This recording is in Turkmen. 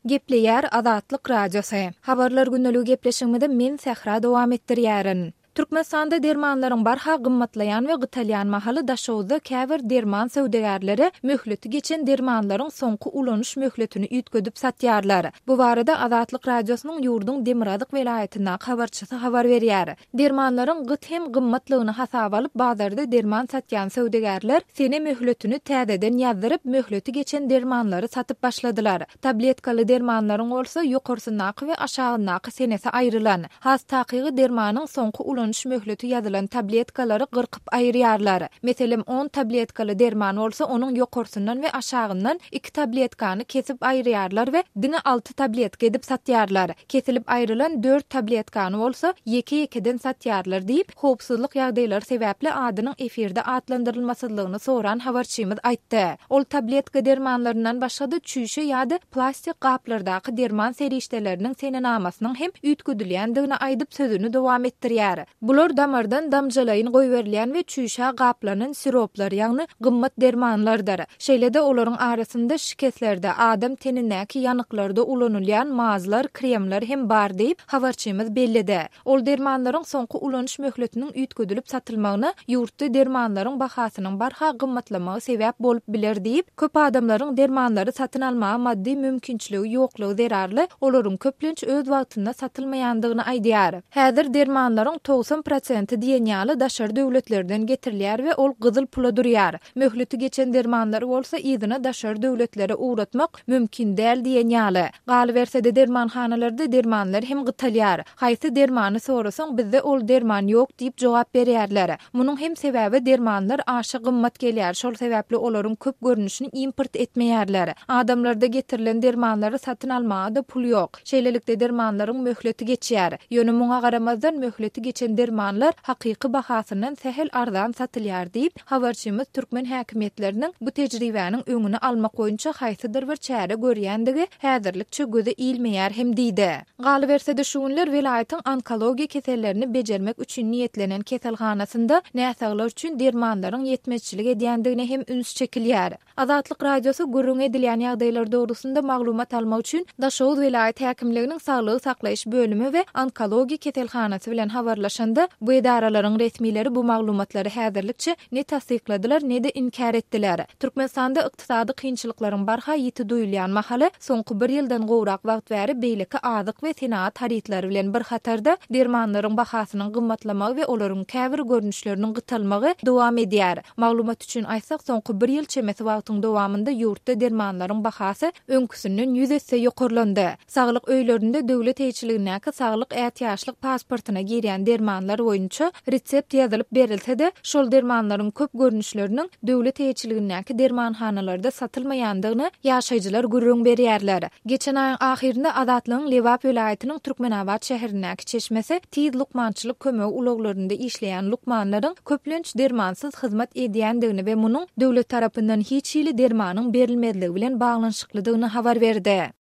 Gepleýär Azatlyk Radiosy. Habarlar gündeligi gepleşigimizi men Sähra dowam etdirýärin. Türkmenistanda dermanlaryň barha gymmatlaýan we gytalýan mahaly Daşoguzda käbir derman söwdagärleri möhleti geçen dermanlaryň soňky ulanyş möhletini üýtgedip satýarlar. Bu barada Azatlyk Radiosynyň ýurduň demirgazyk welaýatyndaky habarçysy habar berýär. Dermanlaryň gyt hem gymmatlygyny hasaba alyp, bazarda derman satýan söwdagärler sene möhletini täzeden ýazdyryp, möhleti geçen dermanlary satyp başladylar. Tabletkaly dermanlaryň bolsa ýokarsyndaky we aşagyndaky senesi aýrylan. Has takygy dermanyň soňky ulanyş möhleti ýazylan tabletkalary gyrkyp aýyrýarlar. Meselem, on tabletkaly derman bolsa onuň ýokarsyndan we aşagyndan iki tabletkany kesip aýyrýarlar we diňe alty tabletka edip satýarlar. Kesilip aýrylan dört tabletkany bolsa ýeke-ýekeden satýarlar diýip, howpsuzlyk ýagdaýlary sebäpli adynyň efirde atlandyrylmasyzlygyny soran habarçymyz aýtdy. Ol tabletka dermanlaryndan başga-da çüýşe ýa-da plastik gaplardaky derman serişdeleriniň senenamasynyň hem üýtgedilýändigini aýdyp sözüni dowam etdirýär. Bular damardan damjalaýyn goýberilýän we çüýşä gaplanan siroplar, ýagny gymmat dermanlardyr. Şeýle-de olaryň arasynda şikeslerde, adam tenindäki ýanyklarda ulanylýan mazlar, kremler hem bar diýip, habarçymyz belledi. Ol dermanlaryň soňky ulanyş möhletiniň üýtgedilip satylmagyna ýurtda dermanlaryň bahasynyň barha gymmatlamagy sebäp bolup biler diýip, köp adamlaryň dermanlary satyn almaga maddy mümkinçiligi ýoklugy zerarly olaryň köplenç öz wagtynda satylmaýandygyny aýdýar. Häzir dermanlaryň 90 prosenti diýen ýaly daşary döwletlerden getirilýär we ol gyzyl pula durýar. Möhleti geçen dermanlary bolsa yzyna daşary döwletlere ugratmak mümkin däl diýen ýaly. Galyberse-de dermanhanalarda dermanlar hem gytalýar. Haýsy dermany sorasaň bizde ol derman ýok diýip jogap berýärler. Munuň hem sebäbi dermanlar aşa gymmat gelýär, şol sebäpli olaryň köp görnüşini import etmeýärler. Adamlarda getirilen dermanlary satyn almaga-da pul ýok. Şeýlelikde dermanlaryň möhleti geçýär. Ýöne muňa garamazdan möhleti geçen dermanlar hakyky bahasyndan sähel arzan satylýar diýip, habarçymyz türkmen häkimiýetleriniň bu tejribäniň öňüni almak boýunça haýsydyr bir çäre görýändigi häzirlikçe göze ilmeýär hem diýdi. Galyberse-de şu günler welaýatyň onkologiýa kesellerini bejermek üçin niýetlenen keselhanasynda näsaglar üçin dermanlaryň ýetmezçilik edýändigine hem üns çekilýär. Azatlyk Radiosy gürrüňi edilýän ýagdaýlar dogrusynda maglumat almak üçin Daşoguz welaýat häkimliginiň saglygy saklaýyş bölümi we onkologiýa keselhanasy bilen habarlaşanda, bu edaralaryň resmileri bu maglumatlary häzirlikçe ne tassykladylar, ne-de inkär etdiler. Türkmenistanda ykdysady kynçylyklaryň barha ýiti duýulýan mahaly, soňky bir ýyldan gowrak wagt bäri beýleki azyk we senagat harytlary bilen bir hatarda, dermanlaryň bahasynyň gymmatlamagy we olaryň käbir görnüşleriniň gytalmagy dowam edýär. Maglumat üçin aýtsak, soňky bir ýyl çemesi wagtyň dowamynda ýurtda dermanlaryň bahasy öňküsinden ýüz esse ýokarlandy. Saglyk öýlerinde döwlet eýeçiligindäki saglyk ätiýaçlyk pasportyna girýän dermanlar boýunça resept ýazylyp berilse-de, şol dermanlaryň köp görnüşleriniň döwlet eýeçiligindäki dermanhanalarda satylmaýandygyny ýaşaýjylar gürrüň berýärler. Geçen aýyň ahyrynda Azatlygyň Lebap welaýatynyň Türkmenabat şäherindäki çeşmesi tiz lukmançylyk kömegi ulaglarynda işleýän lukmanlaryň köplenç dermansyz hyzmat edýändigini we munuň döwlet tarapyndan hiç hili dermanyň berilmezligi bilen baglanyşyklydygyny habar berdi.